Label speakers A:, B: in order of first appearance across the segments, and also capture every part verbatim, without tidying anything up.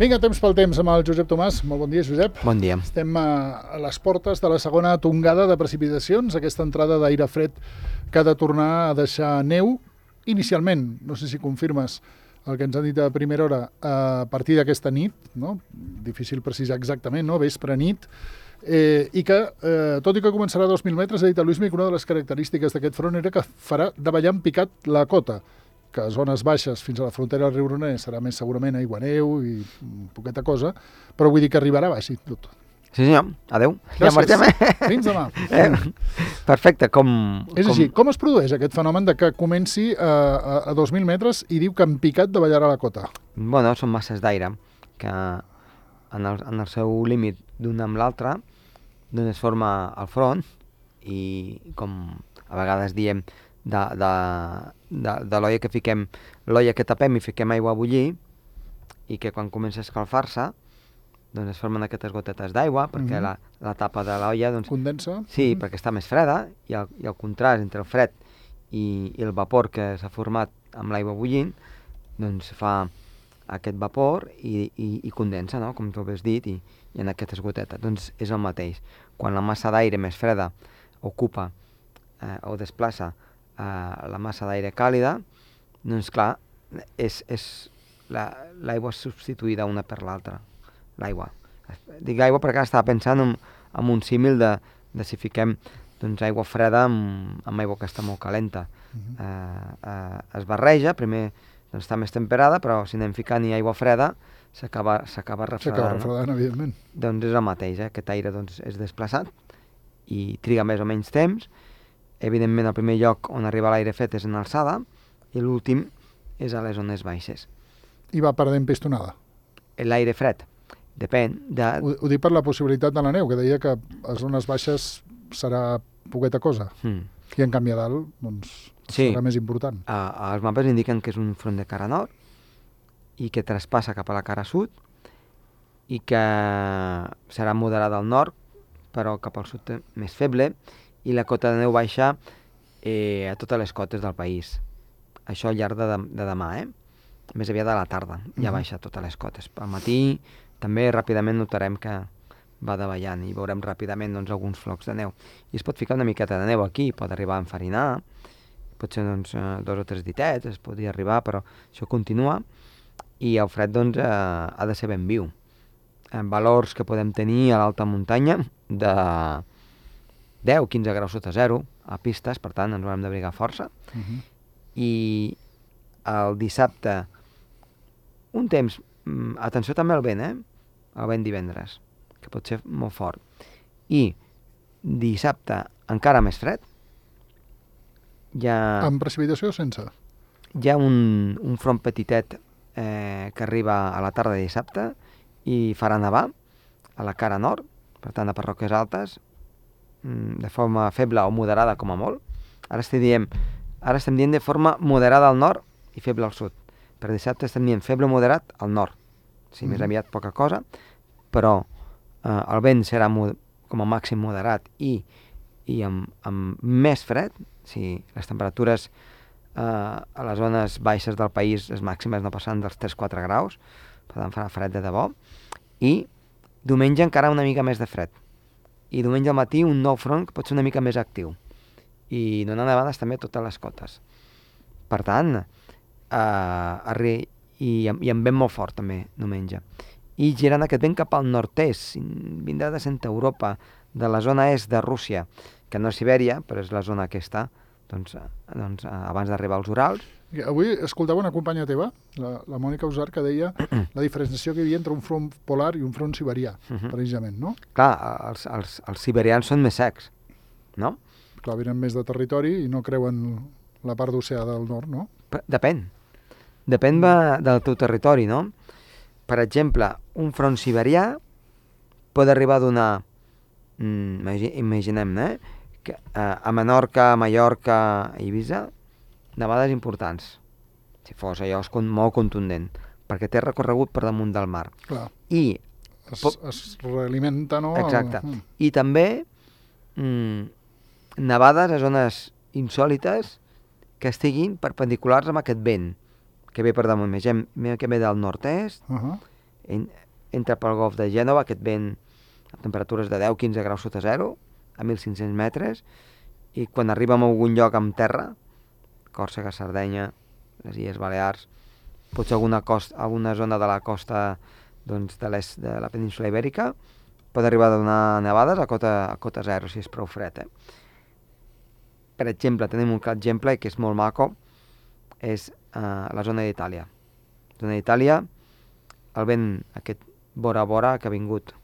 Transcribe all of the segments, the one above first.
A: Vinga, temps pel temps amb el Josep Tomàs. Molt bon dia, Josep.
B: Bon dia.
A: Estem a les portes de la segona tongada de precipitacions, aquesta entrada d'aire fred que ha de tornar a deixar neu. Inicialment, no sé si confirmes el que ens han dit a primera hora, a partir d'aquesta nit, no? Difícil precisar exactament, no? Vespre, nit, eh, i que, eh, tot i que començarà a dos mil metres, ha dit a Luismi que una de les característiques d'aquest front era que farà davallar en picat la cota, que a zones baixes fins a la frontera del riu Roner serà més segurament aigua-neu i poqueta cosa, però vull dir que arribarà baix i tot.
B: Sí senyor, adeu.
A: Gràcies.
B: Ja marxem, eh?
A: Fins demà.
B: Eh? Perfecte, com...
A: És
B: com...
A: així, com es produeix aquest fenomen de que comenci a, a, a dos mil metres i diu que en picat davallarà la cota?
B: Bueno, són masses d'aire que en el, en el seu límit d'un amb l'altre doncs es forma el front i com a vegades diem de, de, de, de l'olla que fiquem, l'olla que tapem i fiquem aigua a bullir i que quan comença a escalfar-se doncs es formen aquestes gotetes d'aigua perquè
A: Mhm.
B: la, la tapa de l'olla doncs,
A: Condensa?
B: sí,
A: Mhm.
B: perquè està més freda i el, i el contrast entre el fred i, i el vapor que s'ha format amb l'aigua bullint doncs fa aquest vapor i, i, i condensa, no? Com tu havies dit, i, i en aquestes gotetes. Doncs és el mateix. Quan la massa d'aire més freda ocupa eh, o desplaça eh, la massa d'aire càlida, doncs clar, és, és l'aigua la, substituïda una per l'altra. L'aigua. Dic aigua perquè estava pensant en, en un símil de, de si fiquem doncs, aigua freda amb, amb aigua que està molt calenta. Uh-huh. eh, eh, es barreja, primer doncs, està més temperada, però si anem ficant-hi aigua freda s'acaba refredant.
A: S'acaba refredant, no? Evidentment.
B: Doncs és el mateix, eh? Aquest aire doncs, és desplaçat i triga més o menys temps. Evidentment el primer lloc on arriba l'aire fred és en alçada i l'últim és a les zones baixes.
A: I va perdent pistonada?
B: L'aire fred depèn de...
A: Ho, ho dic per la possibilitat de la neu, que deia que a zones baixes serà poqueta cosa.
B: Mm.
A: I en canvi a dalt, doncs,
B: sí.
A: serà més important.
B: Uh, els mapes indiquen que és un front de cara nord i que traspassa cap a la cara sud i que serà moderada al nord, però cap al sud més feble, i la cota de neu baixa eh, a totes les cotes del país. Això al llarg de, de demà, eh? Més aviat de la tarda, ja uh-huh. baixa a totes les cotes. Al matí també ràpidament notarem que va davallant i veurem ràpidament doncs, alguns flocs de neu. I es pot ficar una miqueta de neu aquí, pot arribar a enfarinar, pot ser doncs, dos o tres ditets, es podria arribar, però això continua, i el fred doncs, eh, ha de ser ben viu. En valors que podem tenir a l'alta muntanya de deu a quinze graus sota zero a pistes, per tant ens haurem d'abrigar força. Uh-huh. I el dissabte un temps, atenció també al vent, eh? El vent divendres, que pot ser molt fort. I dissabte encara més fred. Ja...
A: Amb precipitació o sense?
B: Hi ha un, un front petitet eh, que arriba a la tarda de dissabte i farà nevar a la cara nord, per tant a Parròquies Altes, de forma feble o moderada com a molt. Ara estem dient, ara estem dient de forma moderada al nord i feble al sud. Per dissabte estem dient feble o moderat al nord. O sigui, mm. més aviat poca cosa, però eh, el vent serà mod- com a màxim moderat i, i amb, amb més fred. O sigui, les temperatures eh, a les zones baixes del país, les màximes no passen dels tres a quatre graus, per tant farà fred de debò. I diumenge encara una mica més de fred. I diumenge al matí un nou front que pot ser una mica més actiu. I donant nevades també a totes les cotes. Per tant, eh, arri- i, i amb vent molt fort també diumenge. I girant aquest vent cap al nord-est, vindrà de Centre Europa, de la zona est de Rússia, que no és Sibèria, però és la zona aquesta, doncs, doncs abans d'arribar als Urals.
A: Avui escoltava una companya teva, la, la Mònica Usar, que deia la diferenciació que hi havia entre un front polar i un front siberià, uh-huh. precisament, no?
B: Clar, els, els, els siberians són més secs, no?
A: Clar, venen més de territori i no creuen la part d'oceà del nord, no?
B: Depèn. Depèn de, del teu territori, no? Per exemple, un front siberià pot arribar a donar, mm, imaginem, eh? Que, eh, a Menorca, a Mallorca, a Eivissa, nevades importants, si fos allò molt contundent, perquè té recorregut per damunt del mar.
A: Clar.
B: I
A: es, po- es realimenta, no?
B: Exacte.
A: El...
B: I també mm, nevades a zones insòlites que estiguin perpendiculars amb aquest vent que ve per damunt. Imaginem que ve del nord-est,
A: uh-huh.
B: en, entra pel golf de Gènova, aquest vent a temperatures de deu a quinze graus sota zero, a mil cinc-cents metres, i quan arribem a algun lloc amb terra, Còrsega, Sardenya, les Illes Balears, potser alguna, costa, alguna zona de la costa doncs, de l'est de la península Ibèrica, pot arribar a donar nevades a cota, a cota zero, si és prou fred. Eh? Per exemple, tenim un clar exemple que és molt maco, és uh, la zona d'Itàlia. La zona d'Itàlia, el vent aquest vora a vora que ha vingut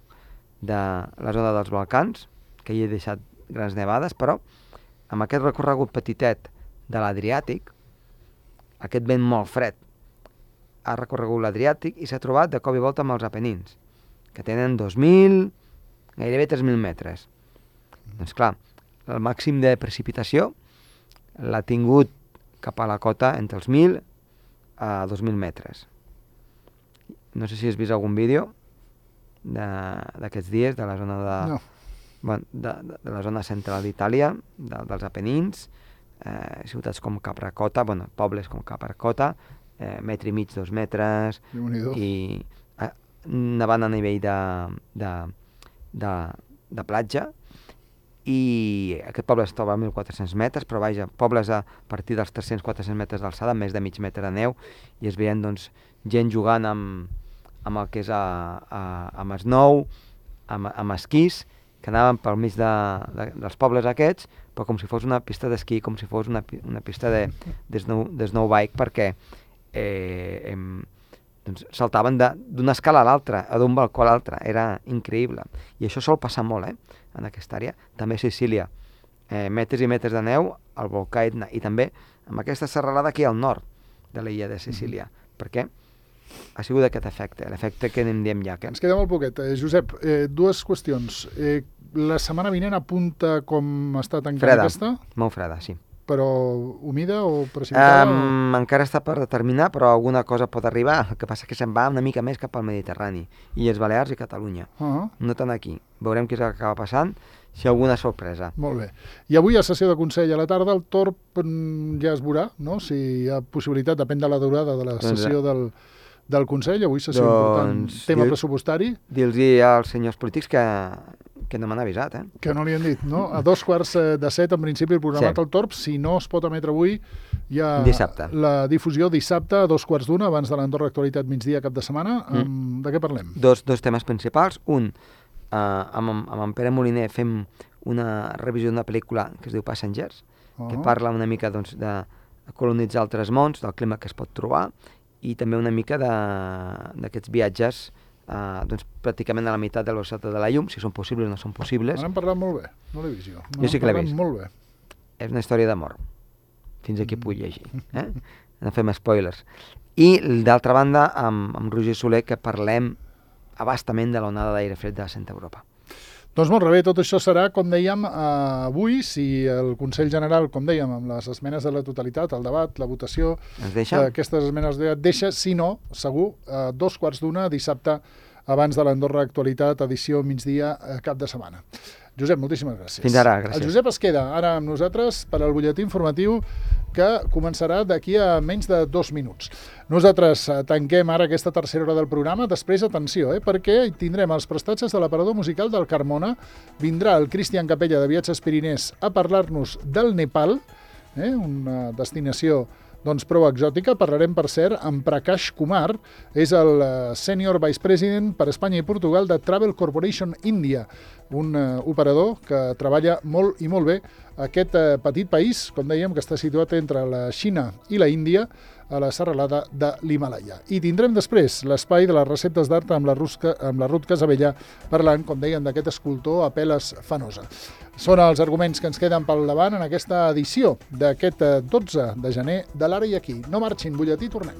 B: de la zona dels Balcans, que hi he deixat grans nevades, però amb aquest recorregut petitet de l'Adriàtic, aquest vent molt fred ha recorregut l'Adriàtic i s'ha trobat de cop i volta amb els Apenins, que tenen dos mil, gairebé tres mil metres. Doncs clar, el màxim de precipitació l'ha tingut cap a la cota entre els mil a dos mil metres. No sé si has vist algun vídeo d'aquests dies de la zona de,
A: no.
B: bueno, de, de, de la zona central d'Itàlia, de, dels Apenins, eh, ciutats com Capracota, bueno, pobles com Capracota, eh, metre i mig, dos metres, i eh, nevant a nivell de, de, de, de platja, i aquest poble es troba a mil quatre-cents metres, però vaja, pobles a partir dels tres-cents a quatre-cents metres d'alçada, més de mig metre de neu, i es veien doncs, gent jugant amb, amb el que és a, a, amb snow, amb, amb esquís, que anaven pel mig de, de, dels pobles aquests, però com si fos una pista d'esquí, com si fos una, una pista de, de, snow, de snowbike, perquè eh, em, doncs, saltaven d'una escala a l'altra, o d'un balcó a l'altre, era increïble. I això sol passar molt, eh, en aquesta àrea. També a Sicília, eh, metres i metres de neu al volcà Etna, i també amb aquesta serralada aquí al nord de l'illa de Sicília, mm-hmm. perquè ha sigut aquest efecte, l'efecte que en diem ja. Que...
A: Ens queda molt poquet. Eh, Josep, eh, dues qüestions. Eh, la setmana vinent apunta com està tancant
B: freda,
A: aquesta?
B: Molt freda, sí.
A: Però humida o precipitada?
B: Um,
A: o...
B: Encara està per determinar, però alguna cosa pot arribar. El que passa que se'n va una mica més cap al Mediterrani, Illes Balears i Catalunya. Uh-huh. No tant aquí. Veurem què és el que acaba passant, si alguna sorpresa.
A: Molt bé. I avui a sessió de Consell a la tarda, el Torb ja es veurà, no? Si hi ha possibilitat, depèn de la durada de la sessió del, del Consell, avui sessió doncs, important, tema dir, pressupostari.
B: Dir-los als senyors polítics que, que no m'han avisat, eh?
A: Que no li han dit, no? A dos quarts de set, en principi, el programat sí. El Torb, si no es pot emetre avui, hi ha
B: dissabte. La
A: difusió dissabte a dos quarts d'una, abans de l'Andorra Actualitat migdia cap de setmana. Mm. Amb, de què parlem?
B: Dos, dos temes principals. Un, uh, amb, amb en Pere Moliner fem una revisió d'una pel·lícula que es diu Passengers, uh-huh. que parla una mica doncs, de colonitzar altres mons, del clima que es pot trobar, i també una mica d'aquests viatges uh, doncs, pràcticament a la meitat de la velocitat de la llum, si són possibles o no són possibles.
A: N'hem parlat molt bé, no l'he vist jo.
B: Jo sí que l'he vist.
A: Molt bé.
B: És una història d'amor, fins aquí puc llegir. Eh? No fem spoilers. I d'altra banda, amb, amb Roger Soler, que parlem abastament de l'onada d'aire fred de Centre Europa.
A: Doncs molt bé, tot això serà, com dèiem, eh, avui, si el Consell General, com dèiem, amb les esmenes de la totalitat, el debat, la votació, aquestes esmenes de deixa, si no, segur, eh, dos quarts d'una, dissabte, abans de l'Andorra Actualitat, edició migdia, eh, cap de setmana. Josep, moltíssimes gràcies.
B: Fins ara, gràcies.
A: El Josep es queda ara amb nosaltres per al butlletí informatiu que començarà d'aquí a menys de dos minuts. Nosaltres tanquem ara aquesta tercera hora del programa. Després, atenció, eh, perquè tindrem els prestatges de l'aparador musical del Carmona. Vindrà el Cristian Capella de Viatges Pirinès a parlar-nos del Nepal, eh, una destinació doncs prou exòtica. Parlarem, per cert, amb Prakash Kumar, és el Senior Vice President per Espanya i Portugal de Travel Corporation India, un uh, operador que treballa molt i molt bé aquest uh, petit país, com dèiem, que està situat entre la Xina i la Índia, a la serralada de l'Himalaya. I tindrem després l'espai de les receptes d'art amb la Rusca, amb la Ruth Casabella, parlant, com dèiem, d'aquest escultor a Peles Fanosa. Són els arguments que ens queden pel davant en aquesta edició d'aquest dotze de gener de l'Ara i Aquí. No marxin, butlletí, tornem.